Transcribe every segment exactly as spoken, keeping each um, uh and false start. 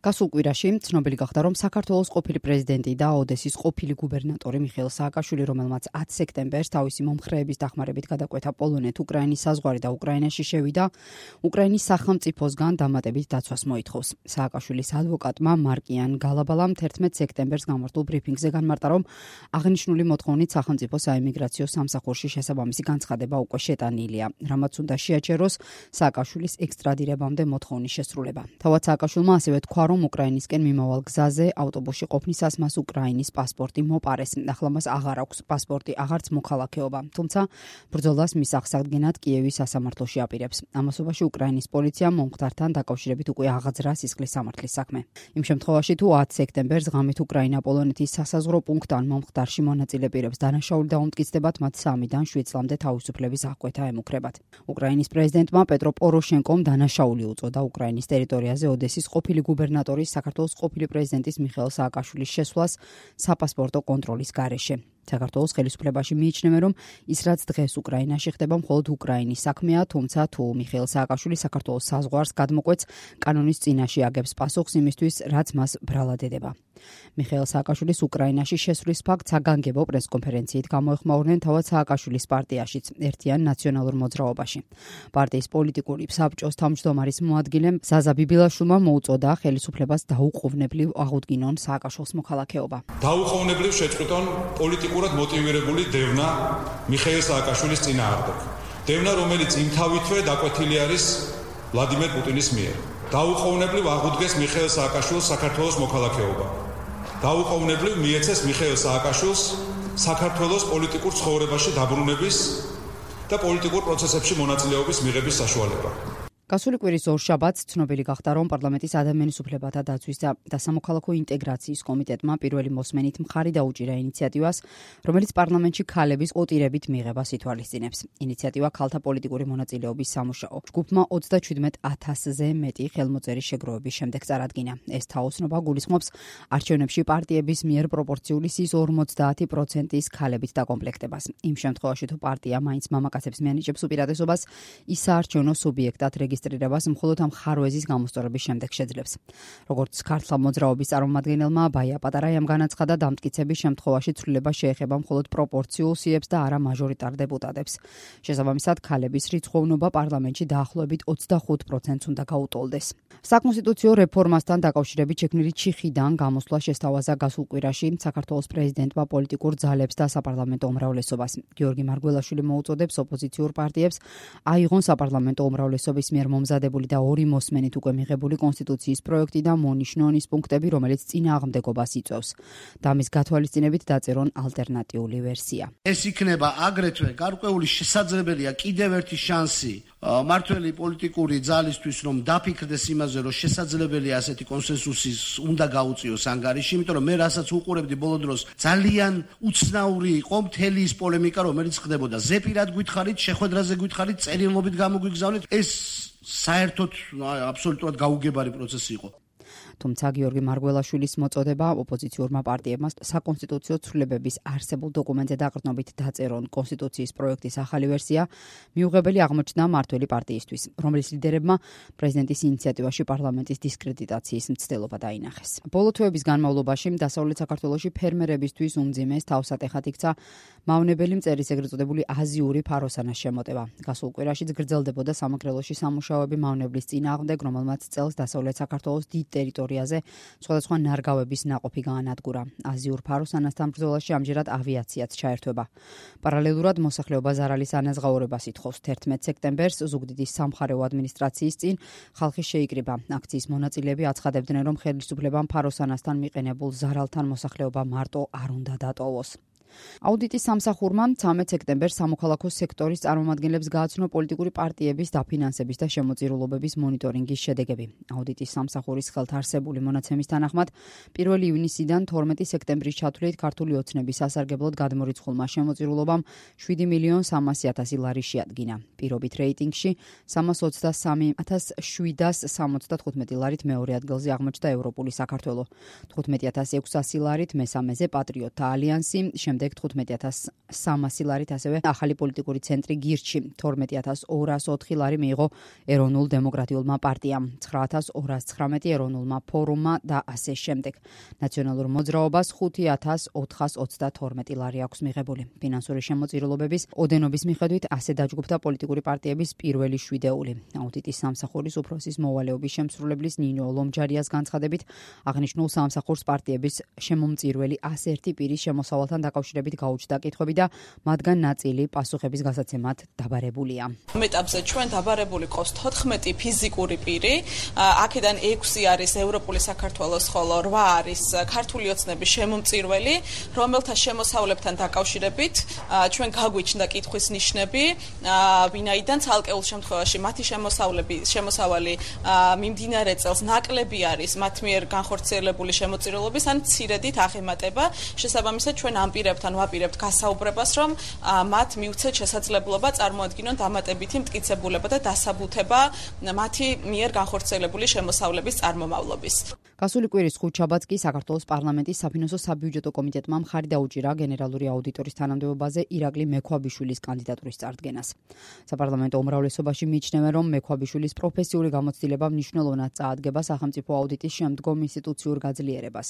გასულ კვირაში ცნობილი გახდა, რომ საქართველოს ყოფილი პრეზიდენტი და ოდესის ყოფილი გუბერნატორი მიხეილ სააკაშვილი, რომელმაც ათი სექტემბერს თავისი მომხრეების დახმარებით გადაკვეთა პოლონეთ-უკრაინის საზღვარი და უკრაინაში შევიდა, უკრაინის სახელმწიფოსგან დამატებით დაცვას მოითხოვს. სააკაშვილის ადვოკატმა მარკიან გალაბალამ თერთმეტ სექტემბერს გამართულ ბრიფინგზე განმარტა, რომ აღნიშნული მოთხოვნით სახელმწიფო საიმიგრაციო სამსახურში შესაბამისი განცხადება უკვე შეტანილია, რამაც უნდა შეაჩეროს სააკაშვილის ექსტრადირებამდე მოთხოვნის შესრულება. თავად სააკაშვილმა ასევე თქვა, რომ უკრაინისკენ მიმავალ გზაზე ავტობუსში ყოფნისას მას უკრაინის პასპორტი მოპარეს. ახლა მას აღარ აქვს პასპორტი, აღარც მოქალაქეობა. თუმცა ბრძოლას მის აღსადგენად კიევის სასამართლოში აპირებს. ამასობაში უკრაინის პოლიციამ მომხდართან დაკავშირებით უკვე აღაძრა სისხლის სამართლის საქმე. იმ შემთხვევაში თუ ათი სექტემბერს ღამით უკრაინა-პოლონეთის სასაზღვრო პუნქტთან მომხდარში მონაწილე პირებს დანაშაული დაუმტკიცდებათ, მათ სამიდან შვიდ წლამდე თავისუფლების აღკვეთა ემუქრებათ. უკრაინის პრეზიდენტმა პეტრო პოროშენკომ დანაშაული უწოდა უკრაინის ტერიტორიაზე ოდესის ყოფილი გუბერნატორის, საქართველოს ყოფილი პრეზიდენტის მიხეილ სააკაშვილის შესვლას საპასპორტო კონტროლის გარეშე. საქართველოს ხელისუფლებაში მიიჩნევენ, რომ ის რაც დღეს უკრაინაში ხდება, მხოლოდ უკრაინის საქმეა, თუმცა თუ მიხეილ სააკაშვილი საქართველოს საზღვარს გადმოკვეთს, კანონის წინაშე აგებს პასუხს იმისთვის, რაც მას ბრალად ედება. მიხეილ სააკაშვილის უკრაინაში შესვლის ფაქტს საგანგებო პრესკონფერენციით გამოეხმაურნენ თავად სააკაშვილის პარტიაშიც, ერთიან ნაციონალურ მოძრაობაში. პარტიის პოლიტიკური საბჭოს თავმჯდომარის მოადგილემ ზაზა ბიბილაშვილმა მოუწოდა ხელისუფლებას დაუყოვნებლივ აღუდგინონ სააკაშვილის მოქალაქეობა. დაუყოვნებლივ შეწყვიტონ პოლიტიკურად მოტივირებული დევნა მიხეილ სააკაშვილის წინააღმდეგ. დევნა, რომელიც იმთავითვე დაკვეთილი არის ვლადიმერ პუტინის მიერ. დაუყოვნებლივ აღუდგეს მიხეილ სააკაშვილს საქართველოს მოქალაქეობა. დაუყოვნებლივ მიეცეს მიხეილ სააკაშვილს საქართველოს პოლიტიკურ ცხოვრებაში დაბრუნების და პოლიტიკურ პროცესებში მონაწილეობის მიღების საშუალება. გასული კვირის ორშაბათს ცნობილი გახდა, რომ პარლამენტის ადამიანის უფლებათა დაცვის და სამოქალაქო ინტეგრაციის კომიტეტმა პირველი მოსმენით მხარი დაუჭირა ინიციატივას, რომელიც პარლამენტში ქალების კვოტირებით მიღებას ითვალისწინებს. ინიციატივა ქალთა პოლიტიკური მონაწილეობის სამუშაო. ჯგუფმა ოცდაჩვიდმეტ ათასზე მეტი ხელმოწერის შეგროვების შემდეგ წარადგინა. ეს თაოსნობა გულისხმობს არჩევნებში პარტიების მიერ პროპორციული სის ორმოცდაათი პროცენტის ქალებით დაკომპლექტებას. იმ შემთხვევაში თუ პარტია მაინც მამაკაცებს მიანიჭებს უპირატესობას, ის საარჩევნო სუბიექტად რეგისტრირებას მხოლოდ ამ ხარვეზის გამოსწორების შემდეგ შეძლებს. როგორც ქართლა მოძრაობის წარმომადგენელმა ბაია პატარაიამ განაცხადა, დამტკიცების შემთხვევაში ცვლილება შეეხება მხოლოდ პროპორციულ სიებს და არა მაჟორიტარ დეპუტატებს. შესაბამისად, ქალების რიცხოვნობა პარლამენტში დაახლოებით ოცდახუთ პროცენტს უნდა გაუტოლდეს. საკონსტიტუციო რეფორმასთან დაკავშირებით შექმნილი ჩიხიდან გამოსვლა შესთავაზა გასულ კვირაში საქართველოს პრეზიდენტმა პოლიტიკურ ძალებს და საპარლამენტო უმრავლესობას. გიორგი მარგველაშვილი მოუწოდებს ოპოზიციურ პარტიებს აიღონ საპარლამენტო უმრავლესობის მიერ მომზადებული და ორი მოსმენით უკვე მიღებული კონსტიტუციის პროექტი და მონიშნონ ის პუნქტები, რომელიც წინააღმდეგობას იწვევს. და მის გათვალისწინებით დაწერონ ალტერნატიული ვერსია. ეს იქნება აგრეთვე გარკვეული შესაძლებელია კიდევ ერთი შანსი მართველი პოლიტიკური ძალისთვის, რომ დაფიქრდეს იმაზე, რომ შესაძლებელია ასეთი კონსენსუსის უნდა გაუწიოს ანგარიში, იმიტომ რომ მე რასაც უყურებდი ბოლო დროს, ძალიან უცნაური იყო მთელი ის პოლემიკა, რომელიც ხდებოდა. ზეპირად გითხარით, შეხვედრაზე გითხარით, წერილობით გამოგვიგზავნით, ეს საერთოდ აბსოლუტურად გაუგებარი პროცესი იყო. თუმცა გიორგი მარგველაშვილის მოწოდება ოპოზიციურმა პარტიებმა საკონსტიტუციო ცვლილებების არსებულ დოკუმენტზე დაყრდნობით დაწერონ კონსტიტუციის პროექტის ახალი ვერსია, მიუღებელი აღმოჩნდა მართველი პარტიისთვის, რომლის ლიდერებმა პრეზიდენტის ინიციატივაში პარლამენტის დისკრედიტაციის მცდელობა დაინახეს. ბოლო თვეების განმავლობაში დასავლეთ საქართველოში ფერმერებისთვის უმძიმეს თავსატეხად იქცა მავნებელი მწერის ეგრეთ წოდებული აზიური ფაროსანას შემოტება. გასულ კვირაშიც გრძელდებოდა სამეგრელოში სამუშაოები მავნებლის წინააღმდეგ, რომელმაც წელს დასავლეთ საქართველოს დიდ ტერიტორიაზე სხვადასხვა ნარგავების ნაყოფი გაანადგურა. აზიურ ფაროსანასთან ბრძოლაში ამჯერად ავიაციაც ჩაერთვება. პარალელურად მოსახლეობა ზარალის ანაზღაურებას ითხოვს. თერთმეტ სექტემბერს ზუგდიდის სამხარეო ადმინისტრაციის წინ ხალხი შეიკრიბა. აქციის მონაწილეები აცხადებდნენ, რომ ხელისუფლებამ ფაროსანასთან მიყენებულ ზარალთან მოსახლეობა მარტო არ უნდა დატოვოს. აუდიტის სამსახურმა ცამეტ სექტემბერს სამოქალაქო სექტორის წარმომადგენლებს გააცნო პოლიტიკური პარტიების დაფინანსების და შემოწირულობების მონიტორინგის შედეგები. აუდიტის სამსახურის ხელთარსებული მონაცემის თანახმად, პირველი ივნისიდან თორმეტი სექტემბრის ჩათვლით ქართული ოცნების სასარგებლოდ გადმორიცხულმა შემოწირულობამ შვიდი მილიონ სამასი ათასი ლარი შეადგინა. პირობით რეიტინგში სამას ოცდასამი ათას შვიდას სამოცდათხუთმეტი ლარით მეორე ადგილზე აღმოჩნდა ევროპული საქართველო. თხუთმეტი ათას ექვსასი ლარით მესამეზე პატრიოტთა ალიანსი, შემდეგ თხუთმეტი ათას სამასი ლარით, ასევე ახალი პოლიტიკური ცენტრი გირჩი თორმეტი ათას ორას ოთხი ლარი მიიღო ეროვნულ დემოკრატიულმა პარტიამ, ცხრა ათას ორას ცხრამეტი ეროვნულმა ფორუმმა და ასე შემდეგ. ნაციონალურ მოძრაობას ხუთი ათას ოთხას ოცდათორმეტი ლარი აქვს მიღებული. ფინანსური შემოწირულობების ოდენობის მიხედვით ასე დაჯგუფდა პოლიტიკური პარტიების პირველი შვიდეული. აუდიტის სამსახურის უფროსის მოვალეობის შემსრულებლის ნინო ლომჯარიას განცხადებით, აღნიშნულ სამსახურს პარტიების შემომწირველი ას ერთი პირის შემოსავალთან დაკავშირებით გაუჩნდა კითხვები და მათგან ნაწილი პასუხების გასაცემად დაბარებულია. ამ ეტაპზე ჩვენ დაბარებული ყავს თოთხმეტი ფიზიკური პირი, აქედან ექვსი არის ევროპული საქართველოს, ხოლო რვა არის ქართული ოცნების შემომწირველი, რომელთა შემოსავლებთან დაკავშირებით ჩვენ გაგვიჩნდა კითხვის ნიშნები, ვინაიდან ცალკეულ შემთხვევაში მათი შემოსავლები შემოსავალი მიმდინარე წელს ნაკლები არის მათ მიერ განხორციელებული შემოწირულობის ან მცირედით აღემატება. შესაბამისად ჩვენ ამ პირებთან ვაპირებთ გასაუბრებას, რომ მათ მიუცეთ შესაძლებლობა წარმოადგინონ დამატებითი მტკიცებულება და დასაბუთება მათი მიერ განხორციელებული შემოსავლების წარმომავლობის. გასული კვირის ხუთშაბათს კი საქართველოს პარლამენტის საფინანსო საბიუჯეტო კომიტეტმა მხარი დაუჭირა გენერალური აუდიტორის თანამდებობაზე ირაკლი მექვაბიშვილის კანდიდატურის წარდგენას. საპარლამენტო უმრავლესობაში მიიჩნევენ, რომ მექვაბიშვილის პროფესიული გამოცდილება მნიშვნელოვნად წაადგება სახელმწიფო აუდიტის შემდგომ ინსტიტუციურ გაძლიერებას.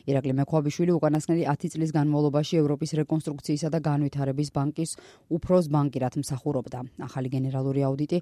ირაკლი მექვაბიშვილი უკანასკნელი ათი წლის განმავლობაში ევროპის რეკონსტრუქციისა და განვითარების ბანკის უფროს ბანკირად მსახურობდა. ახალი გენერალური აუდიტი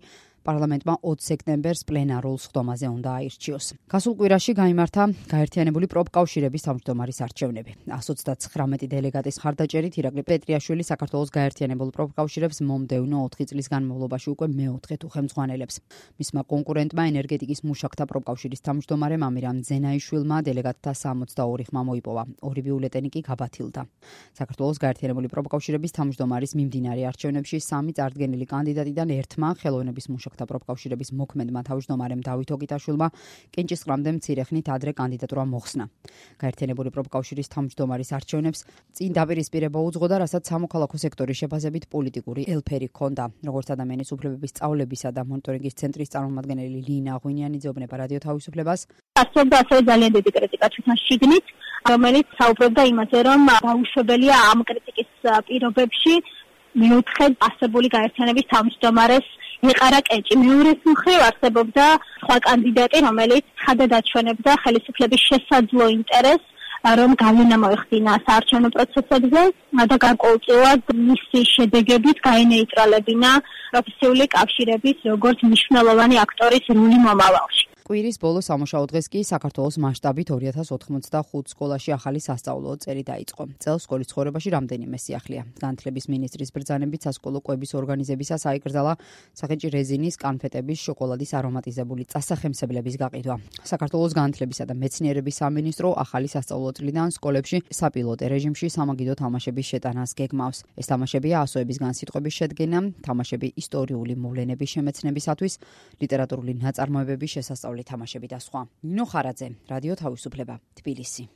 პარლამენტმა ოცი სექტემბერს პლენარულ სხდომაზე უნდა აირჩიოს. გასულ კვირაში გაიმართა გაერთიანებული პროფკავშირების თავმჯდომარის არჩევნები. ას ოცდაცხრამეტი დელეგატის მხარდაჭერით ირაკლი პეტრიაშვილი საქართველოს გაერთიანებულ პროფკავშირებს მომდევნო ოთხი წლის განმავლობაში უკვე მეოთხედ უხელმძღვანელებს. მისმა კონკურენტმა ენერგეტიკის მუშაკთა პროფკავშირის თავმჯდომარემ ამირამ ძენაიშვილმა დელეგატთა სამოცდაორი ხმა მოიპოვა. ორი ბიულეტენი კი გაბათილდა. საქართველოს გაერთიანებული პროფკავშირების თავმჯდომარის მიმდინარე არჩევნებში სამი წარდგენილი კანდიდატიდან ერთმა ხელოვნების მუშაკთა პროფკავშირების მოქმედმა თავმჯდომარემ დავით ოკიტაშვილმა კენჭისყრამდე მცირე ხნით ადრე კანდიდატურა მოხსნა. გაერთიანებული პროფკავშირის თავმჯდომარის არჩევნებს წინ დაპირისპირება უძღოდა, რასაც სამოქალაქო სექტორის შეფასებით პოლიტიკური ელფერი ჰქონდა. როგორც ადამიანის უფლებების სწავლებისა და მონიტორინგის ცენტრის წარმომადგენელი ლინა ღვინიანი ძეუბნება რადიო თავისუფლებას. ასწორდა ასევე ძალიან დიდი კრიტიკა თვითონ შიგნით, რომელიც საუბრობდა იმაზე, რომ დაუშვებელია ამ კრიტიკის პირობებში მეოთხე ასებული გაერთიანების თავმჯდომარეს ეყარა კენჭი. მეორეს მხრივ არსებობდა სხვა კანდიდატი, რომელიც ხადად აჩვენებდა ხელისუფლების შესაძლო ინტერესს, რომ გავლენა მოეხდინა საარჩევნო პროცესებზე და გარკვეულწილად მისი შედეგებით გაენეიტრალებინა პროფესიული კავშირების როგორც მნიშვნელოვანი აქტორის როლი მომავალში. კვირის ბოლო სამუშაო დღეს კი საქართველოს მასშტაბით ორი ათას ოთხმოცდახუთ სკოლაში ახალი სასწავლო წელი დაიწყო. წელს სკოლის ცხოვრებაში რამდენიმე სიახლეა. განათლების მინისტრის ბრძანებით სასკოლო კვების ორგანიზებისას აიკრძალა სახეჭი რეზინის, კანფეტების, შოკოლადის არომატიზებული წასახემსებლების გაყიდვა. საქართველოს განათლებისა და მეცნიერების სამინისტრო ახალი სასწავლო წლიდან სკოლებში საპილოტე რეჟიმში სამაგიდო თამაშების შეტანას გეგმავს. ეს თამაშებია ასოებისგან სიტყვების შედგენა, თამაშები ისტორიული მოვლენების შემეცნებისათვის, ლიტერატურული ნაწარმოებების შესასწავლი თამაშები და სხვა. ნინო ხარაძე, რადიო თავისუფლება, თბილისი.